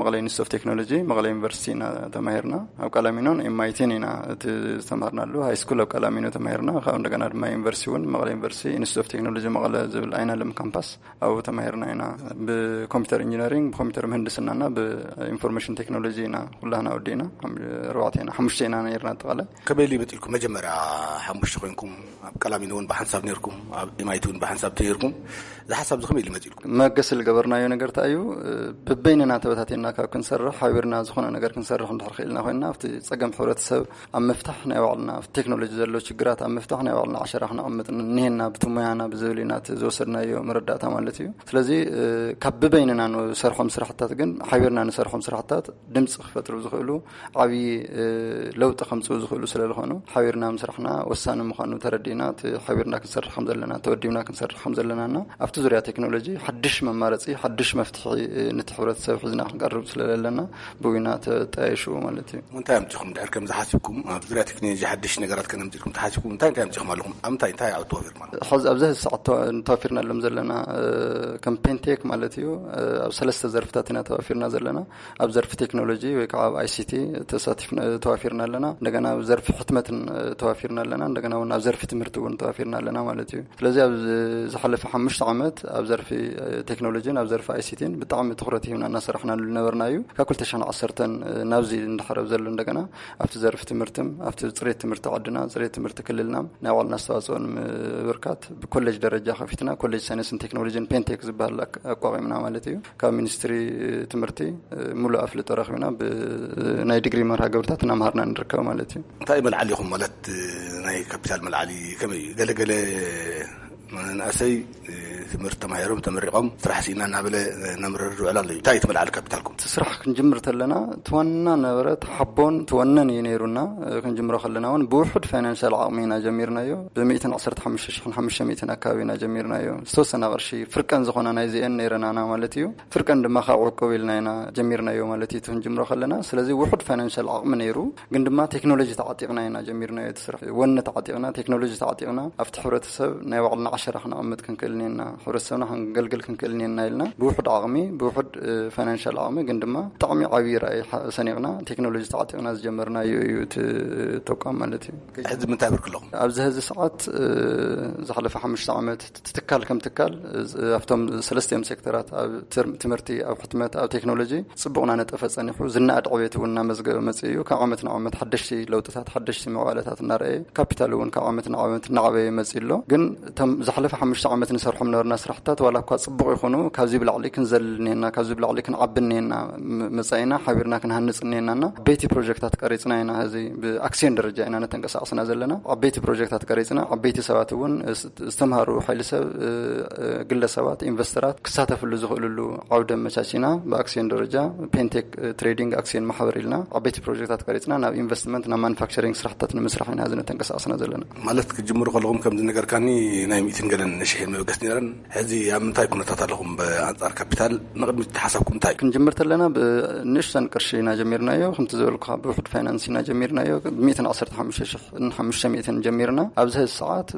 መቐለ ኢንስቲትዩት ኦፍ ቴክኖሎጂ፣ መቐለ ዩኒቨርሲቲ ኢና ተማሂርና። ኣብ ቀላሚኖን ኤምኣይቲን ኢና እቲ ዝተማሃርናሉ። ሃይ ስኩል ኣብ ቀላሚኖ ተማሂርና። ካብ እንደገና ድማ ዩኒቨርሲቲ እውን መቐለ ዩኒቨርሲቲ ኢንስቲትዩት ኦፍ ቴክኖሎጂ መቐለ ዝብል ኣይናለም ካምፓስ ኣብኡ ተማሂርና ኢና። ብኮምፒውተር ኢንጂነሪንግ፣ ብኮምፒውተር ምህንድስናና ብኢንፎርሜሽን ቴክኖሎጂ ኢና ኩላህና ወዲእና። ኣርባዕተ ኢና፣ ሓሙሽተ ኢና ነይርና ኣጠቓላይ። ከመይ ኢሉ ይመፅልኩም? መጀመርያ ሓሙሽተ ኮይንኩም ኣብ ቀላሚኖ እውን ብሓንሳብ ነይርኩም፣ ኣብ ኤምኣይቲ እውን ብሓንሳብ ነይርኩም። እዚ ሓሳብ እዚ ከመይ ኢሉ ይመፅልኩም? መገሲ ዝገበርናዮ ነገር እንታይ እዩ? ብበይንና ተበታቲና ካብ ክንሰርሕ፣ ሓቢርና ዝኾነ ነገር ክንሰርሕ እንድሕር ክኢልና ኮይንና፣ ኣብቲ ፀገም ሕብረተሰብ ኣብ ምፍታሕ ናይ ባዕልና፣ ኣብቲ ቴክኖሎጂ ዘሎ ችግራት ኣብ ምፍታሕ ናይ ባዕልና ዓሸራ ክነቐምጥ እኒሄና፣ ብቲ ሞያና ብዝብል ኢና እቲ ዝወሰድናዮ መረዳእታ ማለት እዩ። ስለዚ ካብ ብበይንና ንሰርሖም ስራሕታት ግን፣ ሓቢርና ንሰርሖም ስራሕታት ድምፂ ክፈጥሩ ዝኽእሉ፣ ዓብዪ ለውጢ ከምፅኡ ዝኽእሉ ስለ ዝኾኑ፣ ሓቢርና ምስራሕና ወሳኒ ምዃኑ ተረዲእና፣ እቲ ሓቢርና ክንሰርሕ ከም ዘለና፣ ተወዲብና ክንሰርሕ ከም ዘለናና ኣብቲ ዙርያ ቴክኖሎጂ ሓድሽ መማረፂ፣ ሓድሽ መፍትሒ ነቲ ሕብረተሰብ ሒዝና ክንቀርብ ስለ ዘለና ብዊና ተጣየሽዎ ማለት እዩ። እንታይ ኣምፂኹም ድሕር ከምዚ ሓሲብኩም ኣብ ዙርያ ቴክኖሎጂ ሓድሽ ነገራት ከነምፅልኩም ተሓሲብኩም እንታይ እንታይ ኣምፂኹም ኣለኹም? ኣብ እንታይ እንታይ ኣብ ተዋፊርኩም ኣለኹም? ሕዚ ኣብዚ ሕዚ ሰዓት ተዋ- ተዋፊርናሎም ዘለና ከም ፔንቴክ ማለት እዩ። ኣብ ሰለስተ ዘርፍታት ኢና ተዋፊርና ዘለና። ኣብ ዘርፊ ቴክኖሎጂ ወይ ከዓ ኣብ ኣይሲቲ ተሳቲፍና ተዋፊርና ኣለና። እንደገና ኣብ ዘርፊ ሕትመትን ተዋፊርና ኣለና። እንደገና እውን ኣብ ዘርፊ ትምህርቲ እውን ተዋፊርና ኣለና ማለት እዩ። ስለዚ ኣብ ዝሓለፈ ሓሙሽተ ዓመት ኣብ ዘርፊ ቴክኖሎጂን ኣብ ዘርፊ ኣይሲቲን ብጣዕሚ ትኹረት ሂብና እናሰራሕናሉ ዝነበርና እዩ። ካብ ክልተ ሽሕን ዓሰርተን ናብዚ እንዳሓረብ ዘሎ እንደገና ኣብቲ ዘርፊ ትምህርትን ኣብቲ ፅሬት ትምህርቲ ዓድና፣ ፅሬት ትምህርቲ ክልልና ናይ ባዕልና ኣስተዋፅኦ ንምብርካት ብኮሌጅ ደረጃ ከፊትና ኮሌጅ ሳይንስን ቴክኖሎጂን ፔንቴክ ዝበሃል ኣቋቂምና ማለት እዩ። ካብ ሚኒስትሪ ትምህርቲ ሙሉእ ኣፍልጦ ረኺብና ብናይ ዲግሪ መርሃ ግብርታት እናምሃርና ንርከብ ማለት እዩ። እንታይ መልዓሊ ኢኹም ማለት ናይ ካፒታል መልዓሊ ከመይ እዩ? ገለገለ መናእሰይ ትምህርቲ ተማሂሮም ተመሪቖም ስራሕ ስኢና እናበለ ነምርር ዝውዕል ኣሎ እዩ። እንታይ እቲ መልዓሊ ካፒታልኩም? እቲ ስራሕ ክንጅምር ተለና እቲ ዋና ነበረ፣ እቲ ሓቦን እቲ ወነን እዩ ነይሩና። ክንጅምሮ ከለና እውን ብውሑድ ፋይናንሻል ዓቕሚ ኢና ጀሚርናዮ። ብሚእትን ዓሰርተ ሓሙሽተ ሽሕን ሓሙሽተ ሚእትን ኣካባቢ ኢና ጀሚርናዮ። ዝተወሰና ቅርሺ ፍርቀን ዝኾና ናይዚአን ነይረናና ማለት እዩ። ፍርቀን ድማ ካብ ዕቁብ ኢልና ኢና ጀሚርናዮ ማለት እዩ። እቲ ክንጅምሮ ከለና ስለዚ ውሑድ ፋይናንሻል ዓቕሚ ነይሩ፣ ግን ድማ ቴክኖሎጂ ተዓጢቕና ኢና ጀሚርናዮ። እቲ ስራሕ ወነ ተዓጢቕና፣ ቴክኖሎጂ ተዓጢቕና ኣብቲ ሕብረተሰብ ናይ ባዕልና ዓሸራ ክነቐምጥ ክንክእል እኒና፣ ሕብረተሰብና ክንገልግል ክንክእል እኒና ኢልና ብውሑድ ዓቕሚ፣ ብውሑድ ፋይናንሻል ዓቕሚ ግን ድማ ብጣዕሚ ዓብዪ ራእይ ሰኒቕና ቴክኖሎጂ ተዓጢቕና ዝጀመርናዮ እዩ እቲ ተቋም ማለት እዩ። ሕዚ ምንታይ ብርክ ኣለኹም? ኣብዚ ሕዚ ሰዓት ዝሓለፈ ሓሙሽተ ዓመት እቲ ትካል ከም ትካል ኣብቶም ሰለስቲኦም ሴክተራት፣ ኣብ ትምህርቲ፣ ኣብ ሕትመት፣ ኣብ ቴክኖሎጂ ፅቡቕና ነጠፈ ፀኒሑ፣ ዝነኣድ ዕቤት እውን እናመዝገበ መፅእ እዩ። ካብ ዓመት ናብ ዓመት ሓደሽቲ ለውጥታት፣ ሓደሽቲ ምዕባለታት እናረኣየ፣ ካፒታል እውን ካብ ዓመት ናብ ዓመት እናዓበየ መፅእ ኣሎ። ግን እቶም ዝሓለፈ ሓሙሽተ ዓመት ንሰርሖም ነበርና ስራሕታት ዋላ እኳ ፅቡቕ ይኹኑ፣ ካብዚ ብላዕሊ ክንዘልል እኒሄና፣ ካብዚ ብላዕሊ ክንዓቢ እኒሄና፣ መፃኢና ሓቢርና ክንሃንፅ እኒሄናና ዓበይቲ ፕሮጀክታት ቀሪፅና ኢና። ሕዚ ብኣክሲዮን ደረጃ ኢና ነተንቀሳቕስና ዘለና። ዓበይቲ ፕሮጀክታት ቀሪፅና፣ ዓበይቲ ሰባት እውን ዝተምሃሩ ሓይሊ ሰብ፣ ግለሰባት፣ ኢንቨስተራት ክሳተፍሉ ዝኽእልሉ ዓውዲ ኣመቻቺና ብኣክሲዮን ደረጃ ፔንቴክ ትሬዲንግ ኣክሲዮን ማሕበር ኢልና ዓበይቲ ፕሮጀክታት ቀሪፅና ናብ ኢንቨስትመንት፣ ናብ ማኑፋክቸሪንግ ስራሕታት ንምስራሕ ኢና ዝነተንቀሳቀስና ዘለና። ማለት ክጅምሩ ከለኹም ከም ዝነገርካኒ ናይ ሚእትን ገለን ሽሕን መበገስ ነይረን። ሕዚ ኣብ ምንታይ ኩነታት ኣለኹም ብኣንጻር ካፒታል? ንቕድሚት ሓሳብኩም እንታይ? ክንጅምር ተለና ብንእሽተን ቅርሺ ኢና ጀሚርናዮ። ከምቲ ዝበልኩኻ ብውሑድ ፋይናንስ ኢና ጀሚርናዮ። ሚእትን ዓሰርተ ሓሙሽተ ሽሕን ሓሙሽተ ሚእትን ጀሚርና። ኣብዚ ሕዚ ሰዓት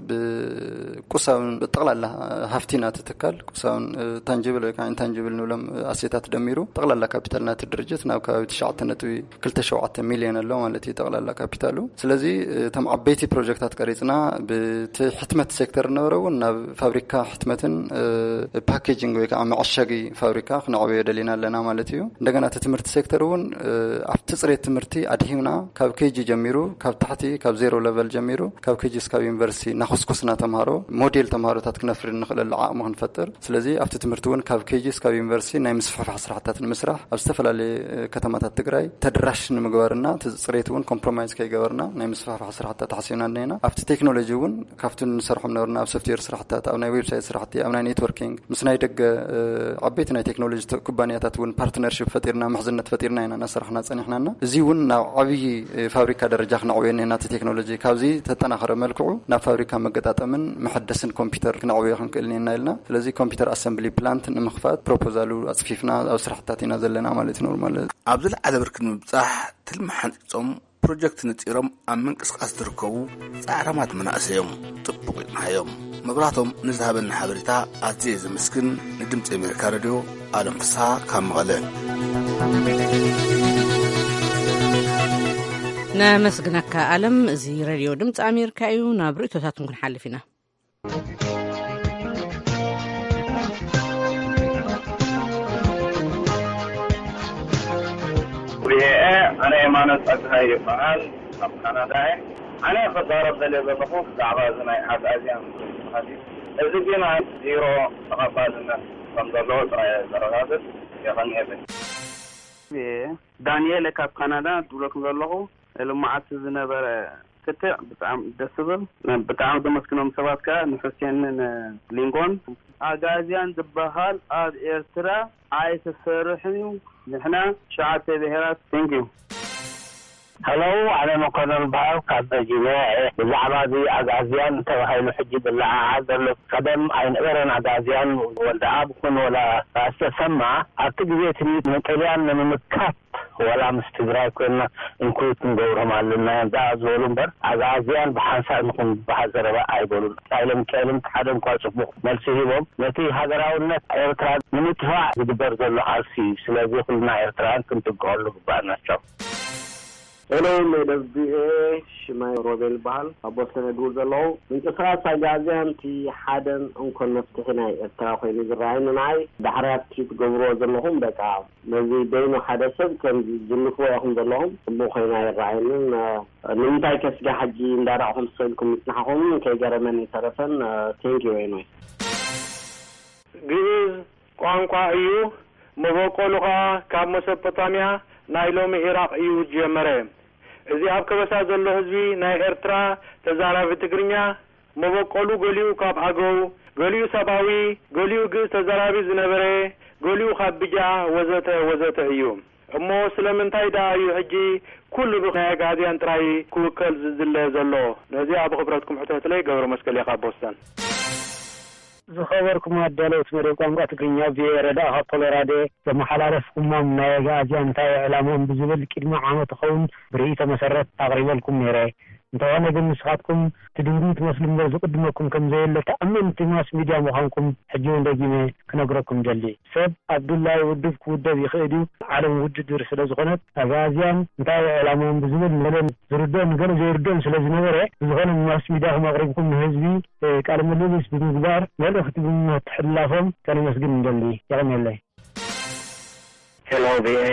ብቁሳውን ብጠቕላላ ሃፍቲ ናቲ ትካል ቁሳውን ታንጅብል ወይ ከዓ ኢንታንጅብል ንብሎም ኣሴታት ደሚሩ ጠቕላላ ካፒታል ናቲ ድርጅት ናብ ከባቢ ትሽዓተ ነጥቢ ክልተ ሸውዓተ ሚልዮን ኣሎ ማለት እዩ ጠቕላላ ካፒታሉ። ስለዚ እቶም ዓበይቲ ፕሮጀክታት ቀሪፅና ብቲ ሕትመት ሴክተር ነበረው ናብ ፋብሪካ ሕትመትን ፓኬጂንግ ወይ ከዓ መዐሸጊ ፋብሪካ ክነዕበዮ ደሊና ኣለና ማለት እዩ። እንደገና እቲ ትምህርቲ ሴክተር እውን ኣብቲ ፅሬት ትምህርቲ ኣድሂምና ካብ ኬጂ ጀሚሩ፣ ካብ ታሕቲ ካብ ዜሮ ለቨል ጀሚሩ ካብ ኬጂ እስካብ ዩኒቨርሲቲ እናኮስኮስና ተምሃሮ ሞዴል ተምሃሮታት ክነፍሪ እንኽእለሉ ዓቕሚ ክንፈጥር። ስለዚ ኣብቲ ትምህርቲ እውን ካብ ኬጂ እስካብ ዩኒቨርሲቲ ናይ ምስፍሕፋሕ ስራሕታት ንምስራሕ ኣብ ዝተፈላለየ ከተማታት ትግራይ ተደራሽ ንምግባርና እቲ ፅሬት እውን ኮምፕሮማይዝ ከይገበርና ናይ ምስፍሕፋሕ ስራሕታት ሓሲብና እኒና። ኣብቲ ቴክኖሎጂ እውን ካብቲ ንሰርሖም ነበርና ኣብ ሶፍትዌር ስራሕታት፣ ኣብ ናይ ዌብሳይት ስራሕቲ፣ ኣብ ናይ ኔትወርኪንግ ምስ ናይ ደገ ዓበይቲ ናይ ቴክኖሎጂ ኩባንያታት እውን ፓርትነርሽፕ ፈጢርና ምሕዝነት ፈጢርና ኢና እናሰራሕና ፀኒሕናና። እዚ እውን ናብ ዓብዪ ፋብሪካ ደረጃ ክነዕብዮ እኒና እቲ ቴክኖሎጂ ካብዚ ተጠናኸረ መልክዑ ናብ ፋብሪካ መገጣጠምን መሐደስን ኮምፒውተር ክነዕብዮ ክንክእል እኒና ኢልና። ስለዚ ኮምፒውተር ኣሰምብሊ ፕላንት ንምኽፋት ፕሮፖዛሉ ኣፅፊፍና ኣብ ስራሕታት ኢና ዘለና ማለት እዩ። ኖርማል ኣብ ዝለዓለ ብርኪ ንምብፃሕ ትልሚ ሓንፂፆም ፕሮጀክት ነፂሮም ኣብ ምንቅስቃስ ዝርከቡ ፃዕራማት መናእሰይ እዮም። ጥቡቕ ይቕናዮም። መብራቶም ንዝሃበና ሓበሬታ ኣዝየ ዘመስግን። ንድምፂ ኣሜሪካ ሬድዮ ኣለም ፍስሓ ካብ መቐለ። ነመስግነካ ኣለም። እዚ ሬድዮ ድምፂ ኣሜሪካ እዩ። ናብ ርእቶታትን ክንሓልፍ ኢና። ቪኦኤ፣ ኣነ የማነ ጸጋይ ይበሃል፣ ካብ ካናዳ እየ። ኣነ ክዛረብ ደልየ ዘለኹ ብዛዕባ እዚ ናይ ኣግኣዝያን ዝብሃል እዩ። እዚ ግን ዜሮ ተቐባልነት ከም ዘለዎ ጥራይ እየ ዘረጋግጽ። የቐንየለይ። ዳንኤል ካብ ካናዳ ድብለኩም ዘለኹ ልመዓቲ ዝነበረ ክትዕ ብጣዕሚ ደስ ዝብል። ብጣዕሚ ዘመስግኖም ሰባት ከኣ ንሑሴንን ሊንጎን። ኣጋዝያን ዝበሃል ኣብ ኤርትራ ኣይተሰርሕን እዩ። ንሕና ሸዓተ ብሄራት። Thank you። Hello፣ ኣነ መኮነን በሃር ካብ ቨርጂኒያ እየ። ብዛዕባ እዚ ኣግኣዝያን ተባሂሉ ሕጂ ዝለዓዓል ዘሎ፣ ቀደም ኣይነበረን። ኣግኣዝያን ወልደኣብ ኩን ወላ ራስ ተሰማ ኣብቲ ግዜ እቲ ንጥልያን ንምምካት ዋላ ምስ ትግራይ ኮይንና ኢንክሉድ ክንገብሮም ኣለና እዮም ደኣ ዝበሉ እምበር ኣግኣዝያን ብሓንሳእ ንኹን ዝበሃል ዘረባ ኣይበሉን። ሃይለ ሚካኤልን ሓደ እንኳ ጽቡቕ መልሲ ሂቦም ነቲ ሃገራውነት ኤርትራ ንምጥፋእ ዝግበር ዘሎ ቃልሲ እዩ። ስለዚ ኩልና ኤርትራውያን ክንጥንቀቐሉ ግባእና። ቻው። ሄሎ ሜደብ ቪኦኤ፣ ሽማይ ሮቤል ይበሃል። ኣብ ቦስተን እድውል ዘለኹ። ምንቅስቃስ ኣግኣዝያን እቲ ሓደን እንኮን መፍትሒ ናይ ኤርትራ ኮይኑ ዝረኣየኒ ንዓይ። ዳሕራይ ኣብቲ ትገብርዎ ዘለኹም በቃ ነዚ በይኑ ሓደ ሰብ ከም ዝልፍዎ ኢኹም ዘለኹም ጽቡቕ ኮይኑ ኣይረኣየንን። ንምንታይ ከስጋ ሕጂ እንዳራእኹም ስቕ ኢልኩም ምጽናሕኹም ከይገረመኒ ኣይተረፈን። Thank you anyway። ግእዝ ቋንቋ እዩ። መበቆሉ ኸኣ ካብ መሶፖታምያ ናይ ሎሚ ኢራቕ እዩ ዝጀመረ። እዚ ኣብ ከበሳ ዘሎ ህዝቢ ናይ ኤርትራ ተዛራቢ ትግርኛ መበቆሉ ገሊኡ ካብ ኣገው፣ ገሊኡ ሰብኣዊ፣ ገሊኡ ግእዝ ተዛራቢ ዝነበረ፣ ገሊኡ ካብ ብጃ ወዘተ ወዘተ እዩ። እሞ ስለምንታይ ደኣ እዩ ሕጂ ኩሉ ብናይ ኣግኣዝያን ጥራይ ክውከል ዝዝለ ዘሎ? ነዚኣ ብኽብረትኩም ሕተቱለይ። ገብረመስቀል እየ ካብ ቦስተን። ዝኸበርኩም ኣዳለውቲ መደብ ቋንቋ ትግርኛ ቪኦኤ ረዳእ ካብ ኮሎራዶ ዘመሓላለፍኩሞም ናይ ኣግኣዝያን እንታይ ዕላምኦም ብዝብል ቅድሚ ዓመት ኸውን ብርእይቶ መሰረት ኣቕሪበልኩም ነይረ። እንተኾነ ግን ንስኻትኩም ትድንጉዩ ትመስሉ እምበር ዝቕድመኩም ከም ዘየለ ተኣመንቲ ማስ ሚድያ ምዃንኩም ሕጂ እውን ደጊመ ክነግረኩም ደሊ። ሰብ ኣብ ድላዩ ውድብ ክውደብ ይኽእል እዩ። ዓለም ውድድር ስለ ዝኾነት ኣግኣዝያን እንታይ ዕላምኦም ብዝብል ንገለ ዝርድኦም ንገለ ዘይርድኦም ስለ ዝነበረ ብዝኾነ ብማስ ሚድያኹም ኣቕሪብኩም ንህዝቢ ቃለ ምልልስ ብምግባር መልእኽቲ ብምምሕልላፎም ከነመስግን ንደሊ። የቐንየለይ። ሄሎ ቪኦኤ፣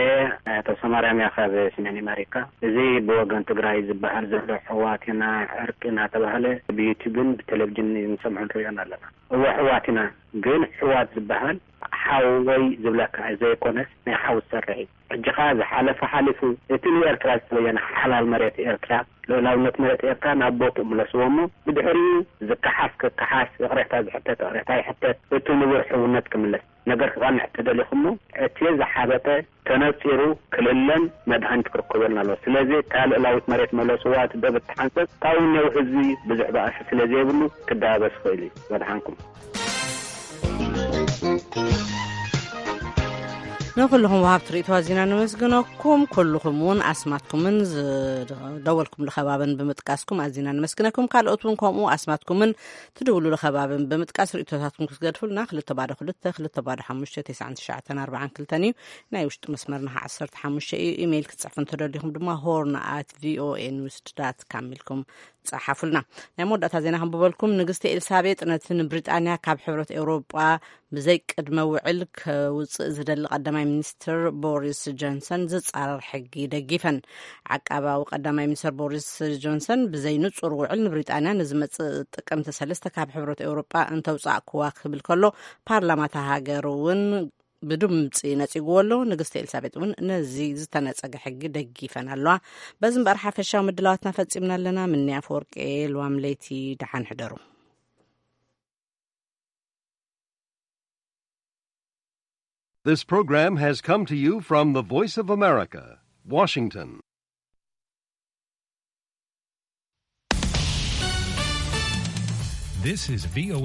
ተስፋማርያም እያ ካብ ሰሜን ኣሜሪካ። እዚ ብወገን ትግራይ ዝበሃል ዘሎ ሕዋት ኢና ዕርቂ እናተባህለ ብዩቲብን ብቴሌቪዥን ንሰምዖን ንሪኦን ኣለና። እወ ሕዋት ኢና፣ ግን ሕዋት ዝበሃል ሓው ወይ ዝብለካ ዘይኮነስ ናይ ሓው ዝሰርሕ እዩ። ሕጂ ኸዓ ዝሓለፈ ሓሊፉ እቲ ንኤርትራ ዝተበየነ ሓላል መሬት ኤርትራ ልኡላውነት መሬት ኤርትራ ናብ ቦትኡ ምለስዎ እሞ ብድሕሪኡ ዝከሓስ ክከሓስ፣ ይቕሬታ ዝሕተት ይቕሬታ ይሕተት፣ እቲ ንቡር ሕውነት ክምለስ። ነገር ክቐንዕ ተደሊኹሞ እቲ ዝሓበጠ ተነጺሩ ክልለን መድሃኒት ክርከበሉን ኣለዎ። ስለዚ እታ ልኡላዊት መሬት መለስዋ እቲ ዶብ እትሓንጸጽ ካብኡ እኒአው ህዝቢ ብዙሕ ባእሲ ስለ ዘይብሉ ክደባበስ ይኽእል እዩ። ወድሓንኩም። ንኩልኹም ወሃብቲ ርእይቶ ኣዚና ነመስግነኩም። ኩልኹም እውን ኣስማትኩምን ዝደወልኩምሉ ከባብን ብምጥቃስኩም ኣዚና ነመስግነኩም። ካልኦት እውን ከምኡ ኣስማትኩምን ትድውሉሉ ከባብን ብምጥቃስ ርእይቶታትኩም ክትገድፉልና ክልተ ባዶ ክልተ ክልተ ባዶ ሓሙሽተ ተስዓን ትሽዓተን ኣርባዓን ክልተን እዩ። ናይ ውሽጢ መስመርና ኸዓ ዓሰርተ ሓሙሽተ እዩ። ኢሜይል ክትጽሕፉ እንተደሊኹም ድማ ሆርን ኣት ቪኦኤ ኒውስ ዳት ካም ኢልኩም ጸሓፉልና። ናይ መወዳእታ ዜና ከንብበልኩም። ንግስቲ ኤልሳቤጥ ነቲ ንብሪጣንያ ካብ ሕብረት ኤውሮጳ ብዘይ ቅድመ ውዕል ከውጽእ ዝደሊ ቀዳማይ ሚኒስትር ቦሪስ ጆንሰን ዝጻረር ሕጊ ደጊፈን። ዓቃባዊ ቀዳማይ ሚኒስትር ቦሪስ ጆንሰን ብዘይ ንጹር ውዕል ንብሪጣንያ ንዝመጽእ ጥቅምቲ ሰለስተ ካብ ሕብረት ኤውሮጳ እንተውጻእክዋ ክብል ከሎ፣ ፓርላማ እታ ሃገር እውን ብድምጺ ነጺግዎ ኣሎ። ንግስቲ ኤልሳቤጥ እውን ነዚ ዝተነጸገ ሕጊ ደጊፈን ኣለዋ። በዚ እምበኣር ሓፈሻዊ ምድላዋትና ፈጺምና ኣለና። ምኒ ኣፈወርቂ፣ ልዋም ለይቲ ደሓን ሕደሩ። This program has come to you from the Voice of America, Washington. This is V O A